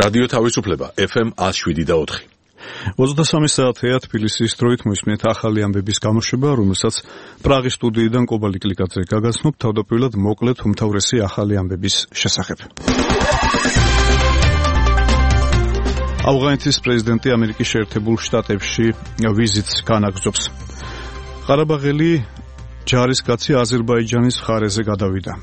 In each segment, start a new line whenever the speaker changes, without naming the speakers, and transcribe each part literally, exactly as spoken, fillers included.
რადიო თავისუფლება ეფ ემ one oh seven და four.
ოცდასამი საათია თბილისის დროით მოისმინეთ ახალი ამბების გამოშვება, რომელსაც პრაღის სტუდიიდან კობალი კლიკაძე გაგაცნობ თავდაპირველად მოკლედ უმთავრესი ახალი ამბების შესახებ. ავღანეთის პრეზიდენტი ამერიკის შეერთებულ შტატებში ვიზიტს განაგრძობს. ყარაბაღელი ჯარისკაცი აზერბაიჯანის მხარეზე გადავიდა.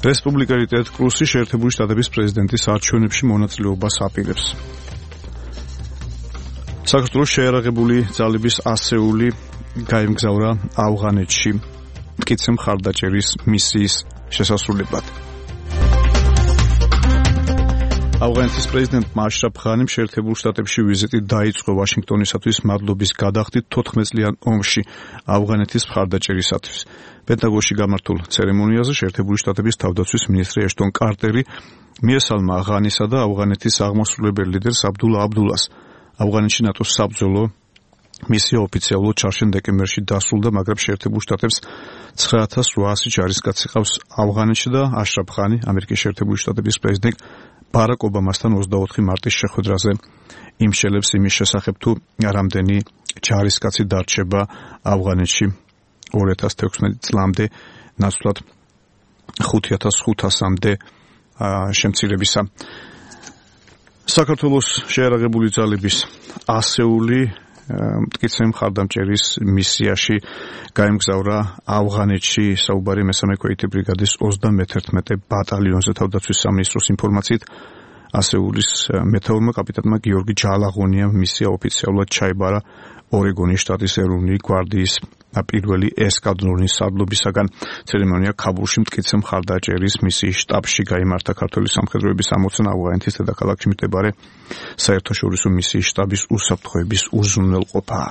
რესპუბლიკელი ტედ კრუსი შეერთებული შტატების პრეზიდენტის არჩევნებში მონაწილეობას აპირებს. საქართველოს შეიარაღებული ძალების ასეული გაემგზავრა ავღანეთში მტკიცე მხარდაჭერის მისიის შესასრულებლად. ავღანეთის პრეზიდენტმა აშრაფ ღანიმ შეერთებულ შტატებში ვიზიტი დაიწყო ვაშინგტონისათვის მადლობის გადახდით თოთხმეტ წლიან ომში ავღანეთის მხარდაჭერისათვის. პენტაგონში გამართულ ცერემონიაზე შეერთებული შტატების თავდაცვის მინისტრი ეშტონ კარტერი მიესალმა ღანისა და ავღანეთის აღმასრულებელ ლიდერს აბდულა აბდულას. ავღანეთში ნატოს საბრძოლო მისია ოფიციალურად ჩარჩენ დეკემბერში დასრულდა, მაგრამ შეერთებულ შტატებს ცხრა ათას ოთხასი ჯარისკაცი ყავს ავღანეთში და აშრაფ ღანი ამერიკის შეერთებული შტატების პრეზიდენტ ბარაკ ობამასთან ოცდაოთხი მარტის შეხვედრაზე იმშელებს იმის შესახებ, თუ რამდენი ჯარისკაცი დარჩება ავღანეთში ორი ათას თექვსმეტი წლამდე, ნაცვლად ხუთი ათას ხუთასამდე შემცირებისა. საქართველოს შეიარაღებული ძალების ასეული მტკიცე მხარდამჭერის მისიაში გაემგზავრა ავღანეთში. საუბარი მესამე ქვეითი ბრიგადის ოცდამეთერთმეტე ბატალიონზე. თავდაცვის სამინისტროს ინფორმაციით ასეულის მეთაურმა კაპიტანმა გიორგი ჯალაღონიამ მისია ოფიციალურად ჩაიბარა ორეგონის შტატის ეროვნული გვარდიის პირველი ესკადრონის სარდლობისაგან. ცერემონია ქაბულში მტკიცე მხარდაჭერის მისიის შტაბში გაიმართა. ქართული სამხედროების ამოცანა ავღანეთის დედაქალაქში მდებარე საერთაშორისო მისიის შტაბის უსაფრთხოების უზრუნველყოფაა.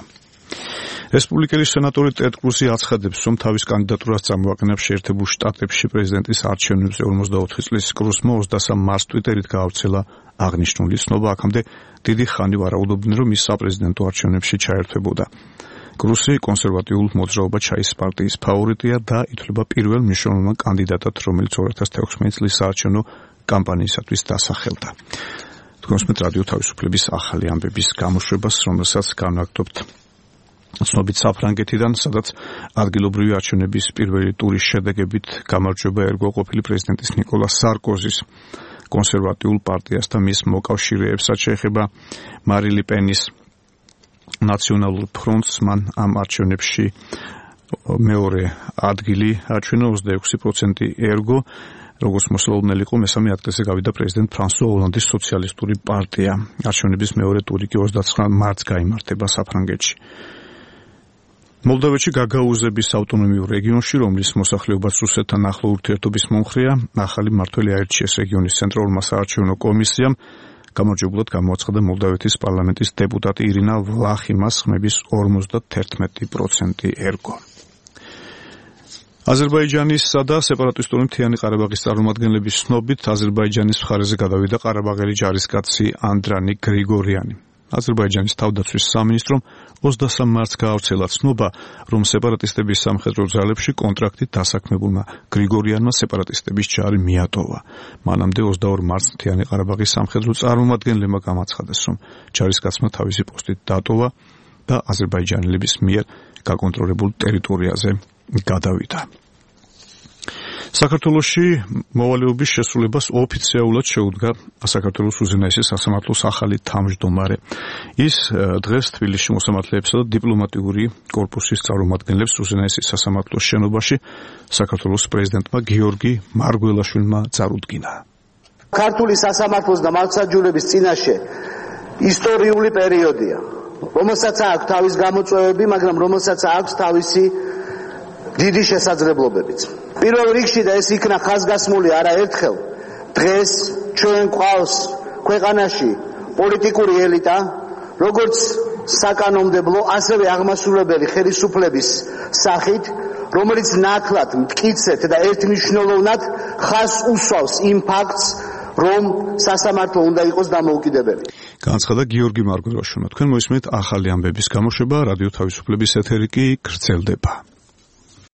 რესპუბლიკელი სენატორი ტედ კრუსი აცხადებს, რომ თავის კანდიდატურას წამოაყენებს შეერთებულ შტატებში პრეზიდენტის არჩევნებზე. ორმოცდაოთხი წლის კრუსმა ოცდასამ მარტს ტვიტერით გაავრცელა აღნიშნული ცნობა. აქამდე დიდი ხანი ვარაუდობდნენ, რომ ის საპრეზიდენტო არჩევნებში ჩაერთვებოდა. კრუსი კონსერვატიულ მოძრაობა ჩაის პარტიის ფავორიტია და ითვლება პირველ მნიშვნელოვან კანდიდატად, რომელიც ორი ათას თექვსმეტი წლის საარჩევნო კამპანიისათვის დასახელდა. თქვენსმეთ რადიო თავისუფლების ახალი ამბების გამოშვებას, რომელსაც განვაგრძობთ ცნობით საფრანგეთიდან, სადაც ადგილობრივი არჩევნების პირველი ტურის შედეგებით გამარჯვება ერგო ყოფილი პრეზიდენტის ნიკოლას სარკოზის კონსერვატიულ პარტიას და მის მოკავშირეებს, რაც შეეხება მარი ლე პენის ნაციონალურ ფრონტს. მან ამ არჩევნებში მეორე ადგილი აჩვენა, ოცდაექვსი პროცენტი ერგო. როგორც მოსალოდნელი იყო, მესამე ადგილზე გავიდა პრეზიდენტ ფრანსუა ოლანდის სოციალისტური პარტია. არჩევნების მეორე ტური კი ოცდაცხრა მარტს გაიმართება საფრანგეთში. მოლდოვეთში გაგაუზების ავტონომიურ რეგიონში, რომლის მოსახლეობაც რუსეთთან ახლო ურთიერთობის მომხრეა, ახალი მმართველი აირჩიეს რეგიონის ცენტრალურმა საარჩევნო კომისიამ. გამარჯვებულად გამოაცხადა მოლდოვეთის პარლამენტის დეპუტატი ირინა ვლახიმას ხმების ორმოცდათერთმეტი პროცენტი ერგო. აზერბაიჯანისა და სეპარატისტული მთიანი ყარაბაღის წარმომადგენლების ცნობით აზერბაიჯანის მხარეზე გადავიდა ყარაბაღელი ჯარისკაცი ანდრანი გრიგორიანი. აზერბაიჯანის თავდაცვის სამინისტრომ ოცდასამ მარტს გაავრცელა ცნობა, რომ სეპარატისტების სამხედრო ძალებში კონტრაქტით დასაქმებულმა გრიგორიანმა სეპარატისტების ჯარი მიატოვა. მანამდე ოცდაორ მარტს მთიანი ყარაბაღის სამხედრო წარმომადგენლებმა გამაცხადეს, რომ ჯარისკაცმა თავისი პოსტით დატოვა და აზერბაიჯანელების მიერ გაკონტროლებულ ტერიტორიაზე გადავიდა. საქართველოში მოვალეობის შესრულებას ოფიციალურად შეუდგა საქართველოს უზენაესი სასამართლოს ახალი თავმჯდომარე. ის დღეს თბილისში მოსამართლეებსა და დიპლომატიური კორპუსის წარმომადგენლებს უზენაესი სასამართლოს შენობაში საქართველოს პრეზიდენტმა გიორგი მარგველაშვილმა წარუდგინა.
ქართული სასამართლოს და მართლმსაჯულების წინაშე ისტორიული პერიოდია, რომელსაც აქვს თავის გამოწვევები, მაგრამ რომელსაც აქვს თავისი დიდი შესაძლებლობებიც. პირველ რიგში და ეს იქნა ხაზგასმული არაერთხელ, დღეს ჩვენ გვყავს ქვეყანაში პოლიტიკური ელიტა, როგორც საკანონმდებლო, ასევე აღმასრულებელი ხელისუფლების სახით, რომელიც ნაკლად, მტკიცედ და ერთმნიშვნელოვნად ხაზს უსვავს იმ ფაქტს, რომ სასამართლო უნდა იყოს დამოუკიდებელი.
განაცხადა გიორგი მარგველაშვილმა. თქვენ მოისმენთ ახალი ამბების გამოშვება, რადიო თავისუფლების ეთერი კი გრძელდება.